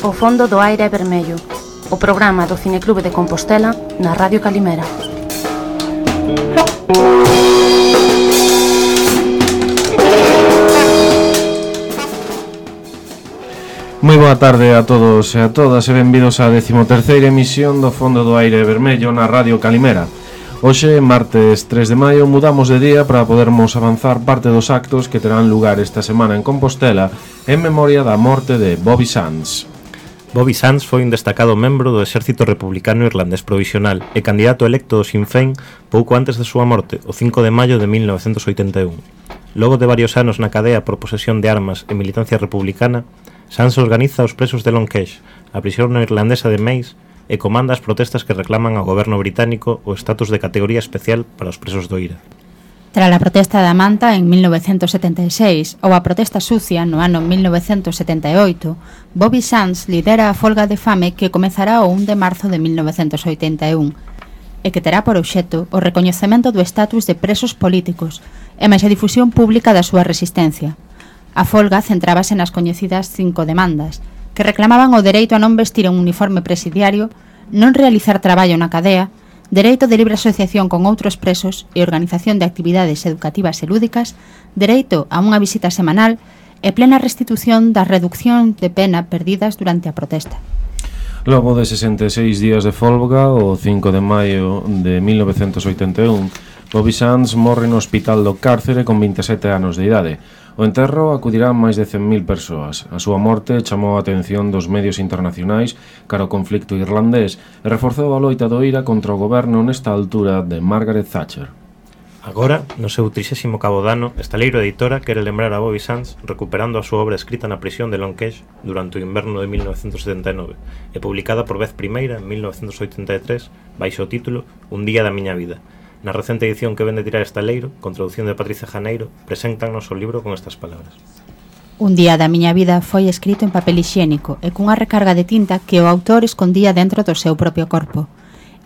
O fondo do aire é vermello, o programa do Cineclube de Compostela na Radio Calimera. Moi boa tarde a todos e a todas e benvidos á 13ª emisión do Fondo do Aire Vermello na Radio Calimera. Hoxe, martes 3 de maio, mudamos de día para podermos avanzar parte dos actos que terán lugar esta semana en Compostela en memoria da morte de Bobby Sands. Bobby Sands foi un destacado membro do Exército Republicano Irlandés Provisional e candidato electo do Sinn Féin pouco antes de súa morte, o 5 de maio de 1981. Logo de varios anos na cadea por posesión de armas e militancia republicana, Sands organiza os presos de Lonquesh, a prisión irlandesa de Mace, e comanda as protestas que reclaman ao goberno británico o estatus de categoría especial para os presos do IRA. Tras a protesta da Manta en 1976 ou a protesta sucia no ano 1978, Bobby Sands lidera a folga de fame que comezará o 1 de marzo de 1981 e que terá por obxecto o recoñecemento do estatus de presos políticos e máis a difusión pública da súa resistencia. A folga centrábase nas coñecidas 5 demandas, que reclamaban o dereito a non vestir un uniforme presidiario, non realizar traballo na cadea, dereito de libre asociación con outros presos e organización de actividades educativas e lúdicas, dereito a unha visita semanal e plena restitución das reduccións de pena perdidas durante a protesta. Logo de 66 días de folga, o 5 de maio de 1981, Bobby Sands morre no hospital do cárcere con 27 anos de idade. O enterro acudirán máis de 100.000 persoas. A súa morte chamou a atención dos medios internacionais cara ao conflicto irlandés e reforzou a loita do IRA contra o goberno nesta altura de Margaret Thatcher. Agora, no seu 38º ano, Estaleiro Editora quere lembrar a Bobby Sands recuperando a súa obra escrita na prisión de Lonquesh durante o inverno de 1979 e publicada por vez primeira en 1983 baixo o título Un día da miña vida. Na recente edición que vende tirar Estaleiro, con traducción de Patricia Janeiro, preséntanos o libro con estas palabras. Un día da miña vida foi escrito en papel hixiénico e cunha recarga de tinta que o autor escondía dentro do seu propio corpo.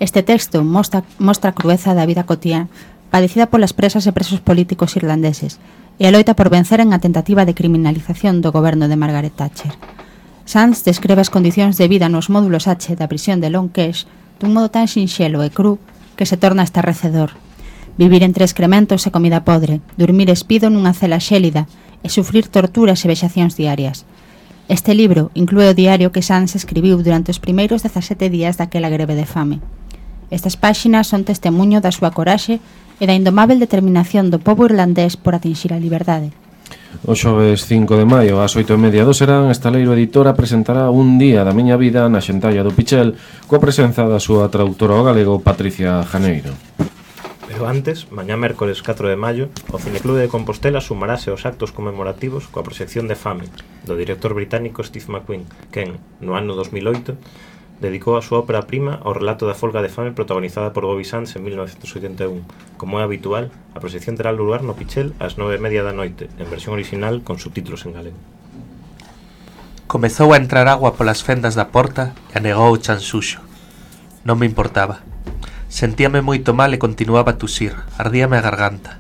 Este texto mostra a crueza da vida cotiá padecida polas presas e presos políticos irlandeses e a loita por vencer en a tentativa de criminalización do goberno de Margaret Thatcher. Sands describe as condicións de vida nos módulos H da prisión de Lonquesh dun modo tan sinxelo e cru que se torna estarrecedor. Vivir entre excrementos e comida podre, dormir espido nunha cela xélida e sufrir torturas e vexacións diarias. Este libro inclúe o diario que Sands escribiu durante os primeiros 17 días daquela greve de fame. Estas páxinas son testemunho da súa coraxe e da indomável determinación do pobo irlandés por atinxir a liberdade. O xoves 5 de maio, ás 8:30 do serán, Estaleiro Editora presentará Un día da miña vida na Xentalla do Pichel coa presenza da súa traductora ao galego Patricia Janeiro. Pero antes, mañá mércores 4 de maio, o Cineclube de Compostela sumarase aos actos conmemorativos coa proxección de Fame do director británico Steve McQueen, quen, no ano 2008, dedicou a súa ópera prima ao relato da folga de fame protagonizada por Bobby Sands en 1981. Como é habitual, a proxección terá lugar no Pichel ás 9:30 da noite, en versión original con subtítulos en galego. Comezou a entrar agua polas fendas da porta e anegou o chan suxo. Non me importaba. Sentíame moito mal e continuaba a tusir, ardíame a garganta.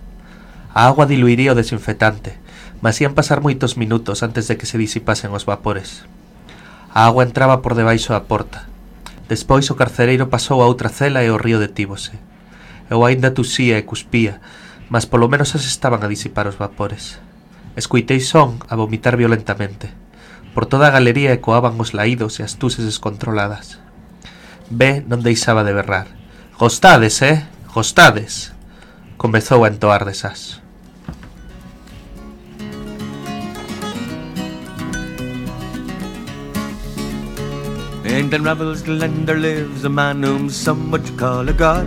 A agua diluiría o desinfetante, mas ían pasar moitos minutos antes de que se disipasen os vapores. A agua entraba por debaixo da porta. Despois o carcereiro pasou a outra cela e o río detívose. Eu aínda tusía e cuspía, mas polo menos as estaban a disipar os vapores. Escuitei son a vomitar violentamente. Por toda a galería ecoaban os laídos e as tuses descontroladas. B non deixaba de berrar. Gostades, Gostades? Comezou a entoar desas. In Glenravel's Glen there lives a man whom some would call a god,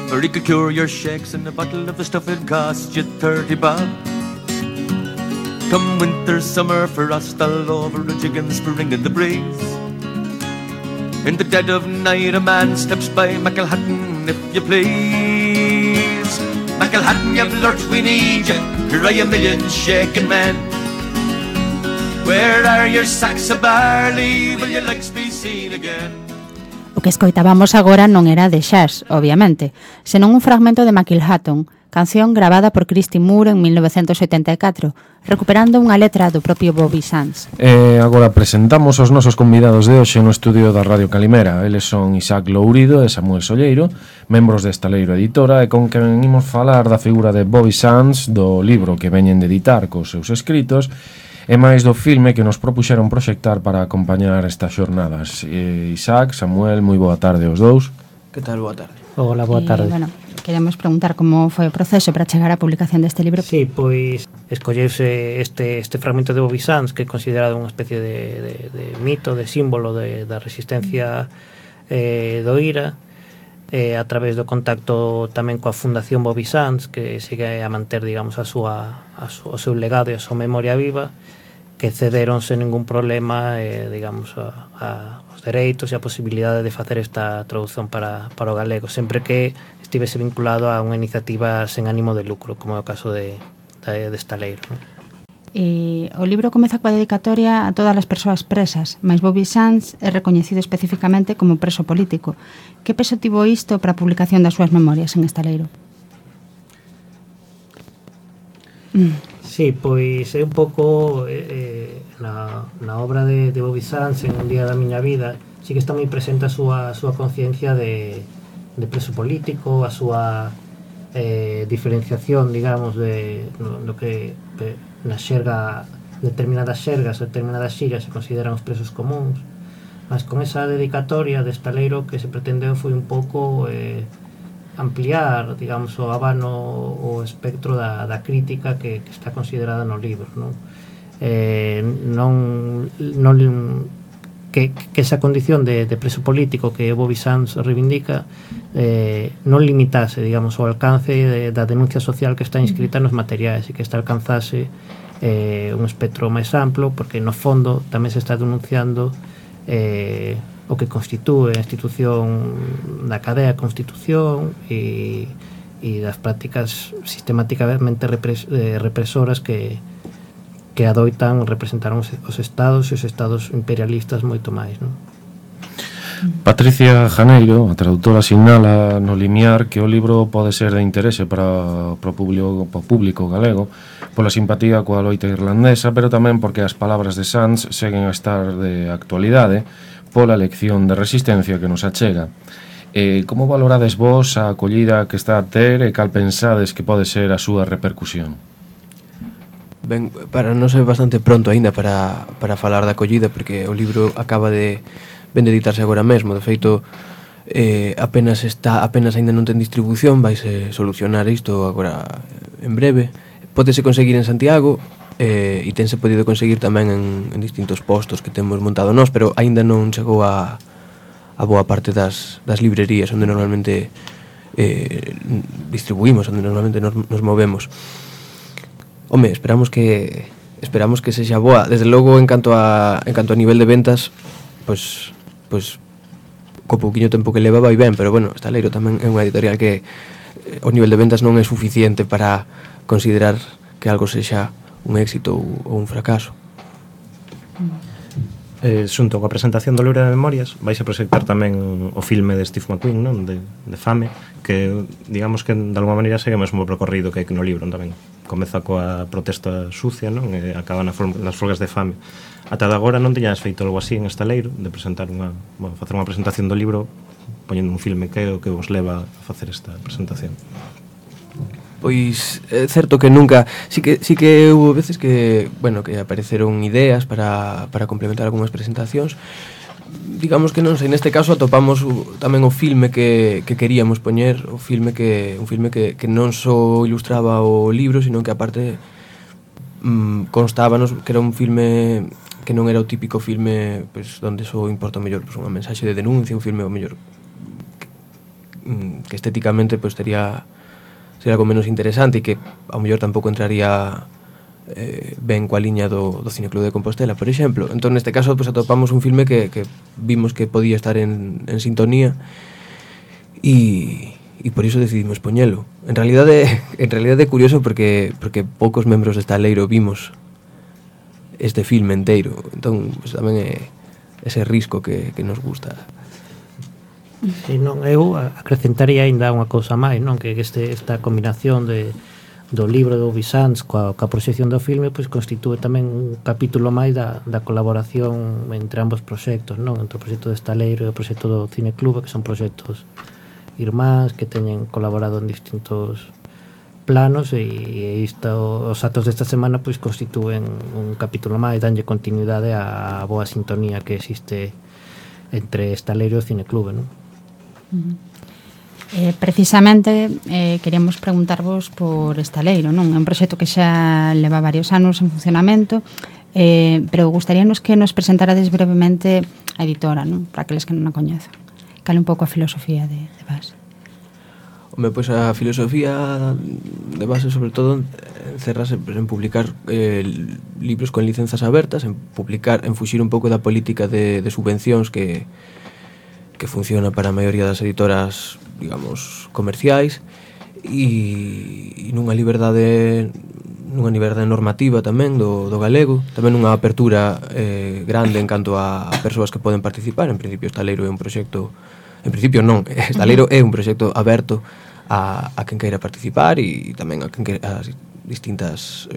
for he could cure your shakes and a bottle of the stuff it cost you 30 bob. Come winter, summer, frost all over, a jigging spring in the breeze. In the dead of night a man steps by Macalhatton, if you please. Macalhatton, you've lurched, we need you, cry a million shaking men. Where are your sacks of barley, will your legs be seen again? O que escoitábamos agora non era de Xas, obviamente, senón un fragmento de Macalhatton, canción gravada por Christy Moore en 1984, recuperando unha letra do propio Bobby Sands. Agora presentamos os nosos convidados de hoxe no estudio da Radio Calimera. Eles son Isaac Lourido e Samuel Solleiro, membros de Estaleiro Editora, e con quen imos falar da figura de Bobby Sands, do libro que veñen de editar cos seus escritos, e máis do filme que nos propuxeron proxectar para acompañar estas xornadas. Isaac, Samuel, moi boa tarde aos dous. Que tal? Boa tarde. Hola, boa tarde. Bueno, queremos preguntar como foi o proceso para chegar á publicación deste libro. Sí, pois escolleuse este fragmento de Bobby Sands, que é considerado unha especie de mito, de símbolo da resistencia do IRA, a través do contacto tamén coa Fundación Bobby Sands, que sigue a manter, digamos, o seu legado e a súa memoria viva, que cederon sen ningún problema, digamos, os dereitos e a posibilidade de facer esta traducción para o galego, sempre que estivese vinculado a unha iniciativa sen ánimo de lucro, como é o caso de Estaleiro, non? O libro comeza coa dedicatoria a todas as persoas presas, mas Bobby Sands é recoñecido especificamente como preso político. Que peso tivo isto para a publicación das súas memorias en Estaleiro? Sí, pois é un pouco na obra de Bobby Sands, en Un día da miña vida, sí que está moi presente a súa conciencia de preso político, a súa diferenciación, digamos, do que na xerga, determinadas xergas, determinadas xillas se consideran os presos comuns, mas con esa dedicatoria de Estaleiro que se pretendeu foi un pouco ampliar, digamos, o abano, o espectro da crítica que está considerada no libro, non? Que esa condición de preso político que Bobby Sands reivindica non limitase, digamos, o alcance da denuncia social que está inscrita nos materiais, e que esta alcanzase un espectro máis amplo, porque no fondo tamén se está denunciando o que constitúe a institución da cadea Constitución e das prácticas sistemáticamente represoras que adoitan representar os estados e os estados imperialistas moito máis, non? Patricia Janeiro, a traductora, sinala no limiar que o libro pode ser de interese para o público galego pola simpatía coa loita irlandesa, pero tamén porque as palabras de Sands seguen a estar de actualidade pola lección de resistencia que nos achega. Como valorades vos a acollida que está a ter e cal pensades que pode ser a súa repercusión? Ben, para non ser bastante pronto aínda para falar da acollida, porque o libro acaba de editarse agora mesmo. De feito, apenas aínda non ten distribución, vaise solucionar isto agora en breve. Pódese conseguir en Santiago, e tense podido conseguir tamén en distintos postos que temos montado nós, pero aínda non chegou a boa parte das librerías onde normalmente distribuímos, onde normalmente nos movemos. Home, esperamos que sexa boa. Desde logo, en canto a nivel de ventas, pois co pouquiño tempo que leva vai ben, pero bueno, Estaleiro tamén é unha editorial que o nivel de ventas non é suficiente para considerar que algo sexa un éxito ou un fracaso. Xunto coa presentación do libro de memorias vais a proxectar tamén o filme de Steve McQueen, non? De Fame, que digamos que de alguma maneira segue o mesmo percorrido que no libro tamén. Comeza coa protesta sucia, non? E acaba nas folgas de fame. Ata de agora non teñas feito algo así en Estaleiro, de presentar facer unha presentación do libro poñendo un filme. Que é o que vos leva a facer esta presentación? Pois é certo que nunca, sí que houve veces que, bueno, que apareceron ideas para complementar algunhas presentacións. Digamos que non sei, neste caso atopamos tamén o filme que queríamos poñer, un filme que non só ilustraba o libro, sino que aparte constábanos que era un filme que non era o típico filme, pues, onde só importa o mellor pues, unha mensaxe de denuncia, un filme o mellor que estéticamente pues, sería algo menos interesante e que ao mellor tampouco entraría ben coa liña do Cineclub de Compostela, por exemplo. Entón, neste caso, pues, atopamos un filme que vimos que podía estar en sintonía e por iso decidimos poñelo. En realidade é curioso porque poucos membros de Estaleiro vimos este filme inteiro. Entón, pues, tamén é ese risco que nos gusta. Si non, eu acrescentaría aínda unha cousa máis, non, que esta combinación do libro do Bizanz coa proxección do filme pois constitúe tamén un capítulo máis da colaboración entre ambos proxectos, non, entre o proxecto de Estaleiro e o proxecto do Cineclube, que son proxectos irmáns que teñen colaborado en distintos planos, e os actos desta semana pois constitúen un capítulo máis, danlle continuidade á boa sintonía que existe entre Estaleiro e o Cineclube, non? Precisamente queríamos preguntarvos por Estaleiro, non? É un proxecto que xa leva varios anos en funcionamento, pero gustaríanos que nos presentarades brevemente a editora, non? Para aqueles que non a coñezan. Cal un pouco a filosofía de base? Home, pois a filosofía de base sobre todo encerrase en publicar libros con licenzas abertas, en fuxir un pouco da política de subvencións que funciona para a maioría das editoras, digamos, comerciais, e nunha liberdade normativa tamén do galego, tamén unha apertura grande en canto a persoas que poden participar. En principio Estaleiro é un proxecto, Estaleiro é un proxecto aberto a quen queira participar, e tamén a as distintas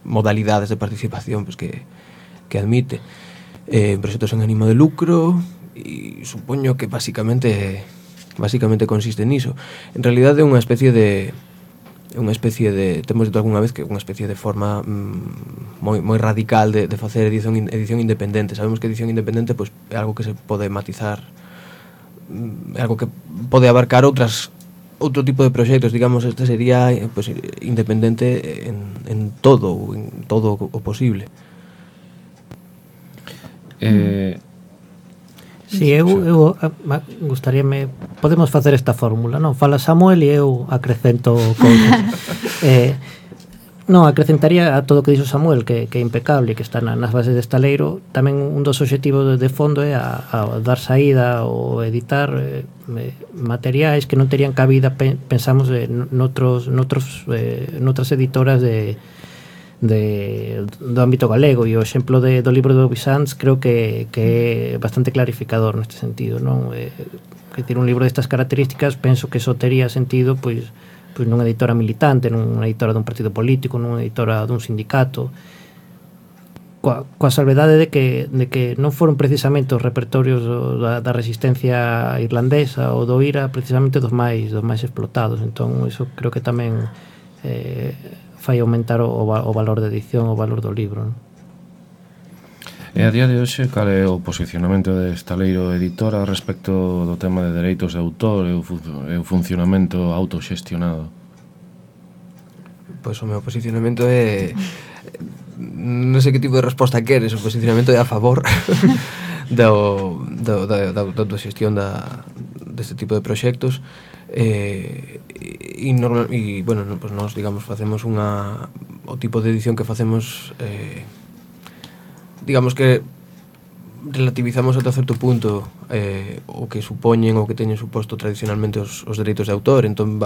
modalidades de participación pues, que admite. Proxectos en ánimo de lucro, e supoño que basicamente consiste niso. En realidade é unha especie de temos dito algunha vez que é unha especie de forma moi radical de facer edición independente. Sabemos que edición independente pues, é algo que se pode matizar, é algo que pode abarcar outro tipo de proxectos, digamos. Este sería pues, independente en todo o posible. Si, eu gustaríame, podemos facer esta fórmula, non? Fala Samuel e eu acrecento cousas. Non, acrecentaría a todo o que dixo Samuel, que é impecable, que está nas bases de Estaleiro. Tamén un dos obxectivos de fondo é a dar saída ou editar materiais que non terían cabida, pensamos, noutras editoras do ámbito galego, e o exemplo do libro do Bizanz creo que é bastante clarificador neste sentido, non? Que ter un libro destas características penso que só tería sentido pois nunha editora militante, nunha editora dun partido político, nunha editora dun sindicato, coa salvedade de que non foron precisamente os repertorios da resistencia irlandesa ou do IRA precisamente dos máis explotados. Entón iso creo que tamén fai aumentar o valor de edición, o valor do libro, non? E a día de hoxe, cal é o posicionamento de Estaleiro editora respecto do tema de dereitos de autor e o funcionamento autoxestionado? Pois o meu posicionamento é... non sei que tipo de resposta queres. O posicionamento é a favor da autoxestión deste tipo de proxectos. Bueno, pues nós, digamos, facemos o tipo de edición que facemos, digamos que relativizamos ata certo punto o que supoñen ou que teñen suposto tradicionalmente os dereitos de autor. Entón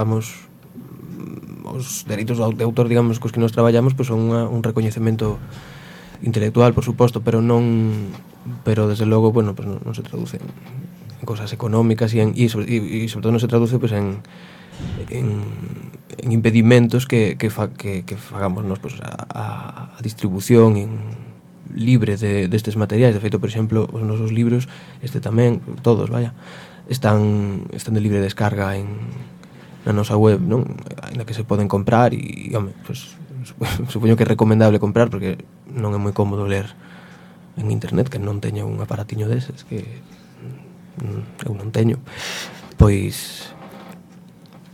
os dereitos de autor, digamos, cos que nos traballamos, pues son un recoñecemento intelectual, por suposto, pero desde logo, bueno, pues non se traducen en cosas económicas e sobre todo non se traduce pues en impedimentos que fagamos nos pues, a distribución libre destes materiais. De feito, por exemplo, os nosos libros, tamén, todos, están de libre descarga na nosa web, non? Ainda que se poden comprar e, home, pues, supoño que é recomendable comprar porque non é moi cómodo ler en internet, que non teña un aparatiño deses que eu non teño. Pois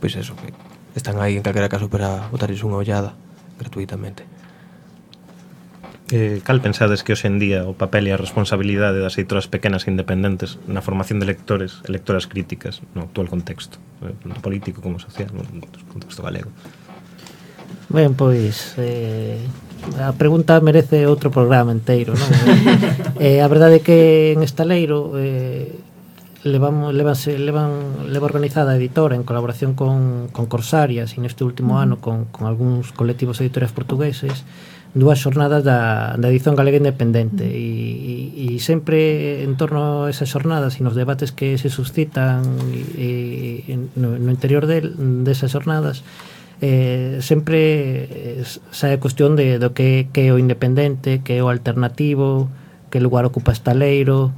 eso, que están aí en calquera caso para botarles unha ollada gratuitamente. Cal pensades que hoxe en día o papel e a responsabilidade das editoras pequenas e independentes na formación de lectores e lectoras críticas no actual contexto, tanto político como social, no contexto galego? Ben, pois a pregunta merece outro programa inteiro, non? A verdade é que en Estaleiro leva organizada a editora en colaboración con Corsarias, e neste último ano con algúns colectivos editoriais portugueses, dúas xornadas da edición galega independente e sempre en torno a esas xornadas e nos debates que se suscitan no interior desas xornadas sempre sae a cuestión do que é o independente, que é o alternativo, que lugar ocupa estaleiro,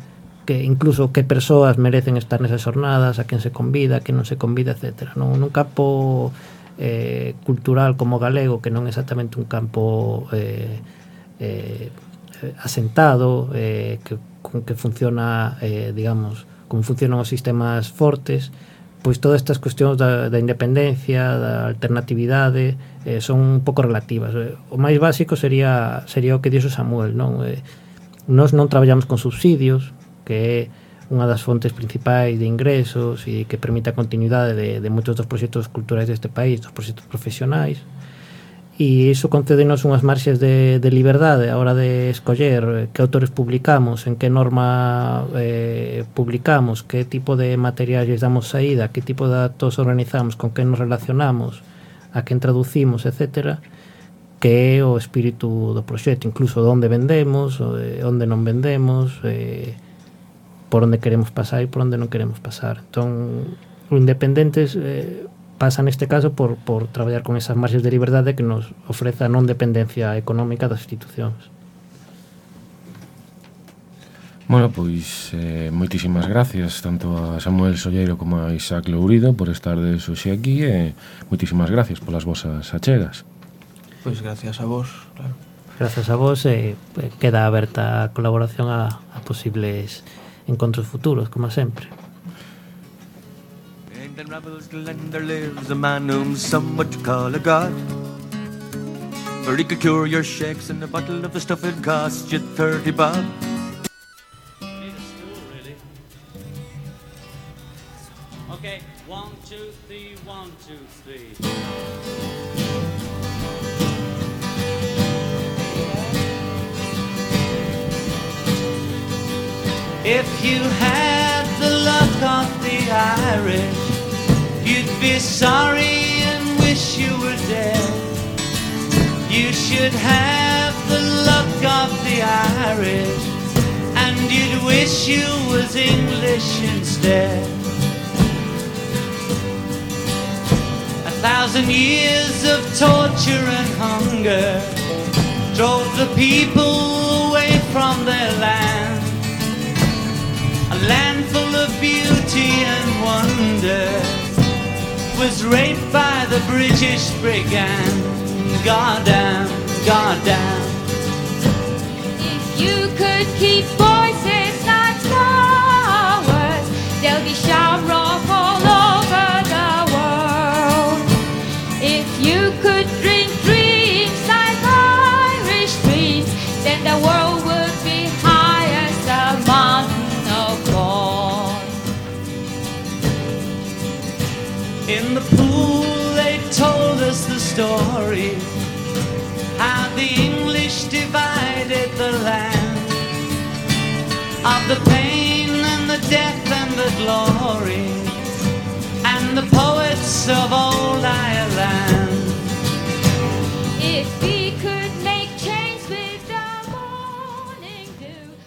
que incluso que persoas merecen estar nesas xornadas, a quen se convida, a quen non se convida, etc. Nun campo cultural como galego, que non é exactamente un campo asentado, que funciona, digamos, como funcionan os sistemas fortes, pois todas estas cuestións da independencia, da alternatividade, son un pouco relativas. O máis básico sería o que dixo Samuel, non? Nós non traballamos con subsidios, que é unha das fontes principais de ingresos e que permite a continuidade de moitos dos proxectos culturais deste país, dos proxectos profesionais, e iso concédenos unhas marxes de liberdade a hora de escoller que autores publicamos, en que norma publicamos, que tipo de materiais damos saída, que tipo de datos organizamos, con que nos relacionamos, a quen traducimos, etc., que é o espírito do proxecto, incluso onde vendemos, onde non vendemos, por onde queremos pasar e por onde non queremos pasar. Entón, o independentes pasa neste caso por traballar con esas marxes de liberdade que nos ofrece a non dependencia económica das institucións. Bueno, pois moitísimas gracias tanto a Samuel Solleiro como a Isaac Lourido por estar de hoxe aquí e moitísimas gracias polas vosas achegas. Pois gracias a vos, claro. Gracias a vos, queda aberta a colaboración a posibles encontros futuros, como sempre. In Ravels Glen there lives a man whom some would call a god, for he could cure your shakes, and a bottle of the stuff it cost you 30 bob. Okay, 1, 2, 3, 1, 2, 3. If you had the luck of the Irish, you'd be sorry and wish you were dead. You should have the luck of the Irish, and you'd wish you was English instead. 1,000 years of torture and hunger drove the people away from their land. A land full of beauty and wonder was raped by the British brigand. Goddamn, goddamn. If you could keep voices like flowers, they'll be shamrock all over the world. If you could drink dreams like Irish dreams, then the world would be high as a mountain. In the pool they told us the story, how the English divided the land, of the pain and the death and the glory, and the poets of old Ireland. If we could make change with the morning dew.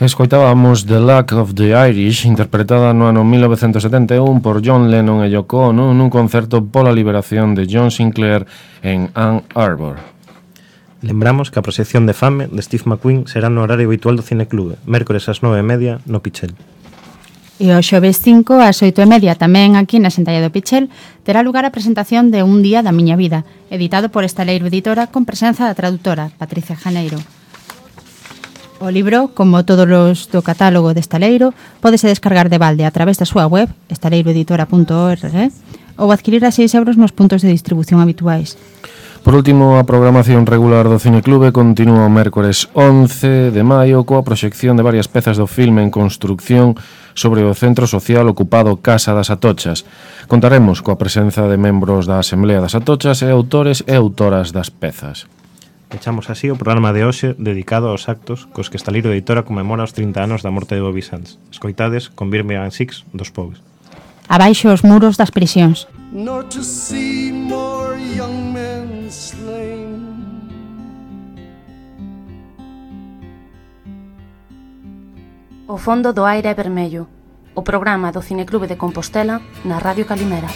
Escoitábamos The Luck of the Irish, interpretada no ano 1971 por John Lennon e Yoko Ono nun concerto pola liberación de John Sinclair en Ann Arbor. Lembramos que a proxección de Fame de Steve McQueen será no horario habitual do Cineclube, mércores ás 9:30 no Pichel. E o xoves 5 ás 8:30 tamén aquí na Sentalla do Pichel terá lugar a presentación de Un día da miña vida, editado por Estaleiro Editora con presenza da traductora Patricia Janeiro. O libro, como todos os do catálogo de Estaleiro, pódese descargar de balde a través da súa web, estaleiroeditora.org, ou adquirir a 6 euros nos puntos de distribución habituais. Por último, a programación regular do Cineclube continúa o mércores 11 de maio coa proxección de varias pezas do filme en construcción sobre o centro social ocupado Casa das Atochas. Contaremos coa presenza de membros da Asamblea das Atochas e autores e autoras das pezas. Echamos así o programa de hoxe dedicado aos actos cos que Estaleiro Editora conmemora os 30 anos da morte de Bobby Sands. Escoitades con Birmingham Six dos Pogues. Abaixo os muros das prisións. Nor to see more young men slain, O fondo do aire é vermello, o programa do Cineclube de Compostela na Radio Calimera.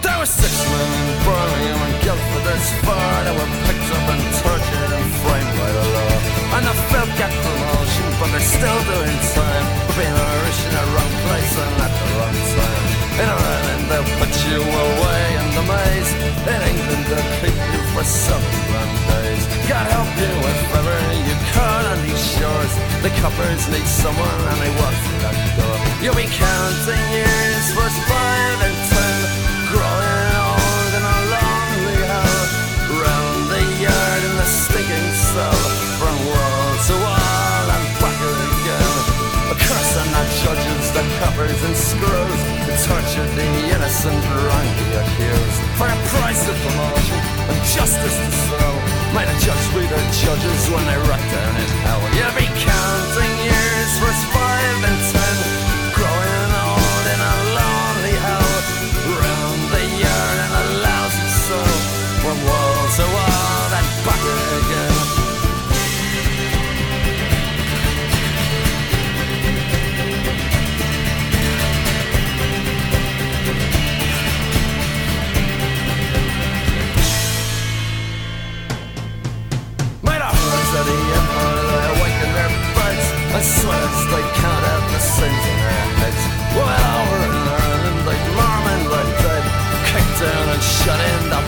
There were 6 men in Birmingham and Guildford this far that were picked up and tortured and framed by the law. And the folk got promotion, but they're still doing time for being Irish in the wrong place and at the wrong time. In Ireland they'll put you away in the maze. In England they'll keep you for 7 days. God help you if ever you caught on these shores. The coppers need someone and they walk through that door. You'll be counting years, first 5 and 10, growing old in a lonely hell. Round the yard in the stinking cell, from wall to wall and back again. A curse on the judges, the coppers and screws, who tortured the innocent, wrongly accused. For a price of promotion and justice to sell, might a judge be their judges when they rot down in hell. You'll be counting years, first 5 and 10, growing old in a lonely hell. Round the yard in a lousy cell, from wall to wall and back again. Sweat as they count out the sins in their heads. Well, over in Ireland, like Norman, like dead, kicked down and shut in the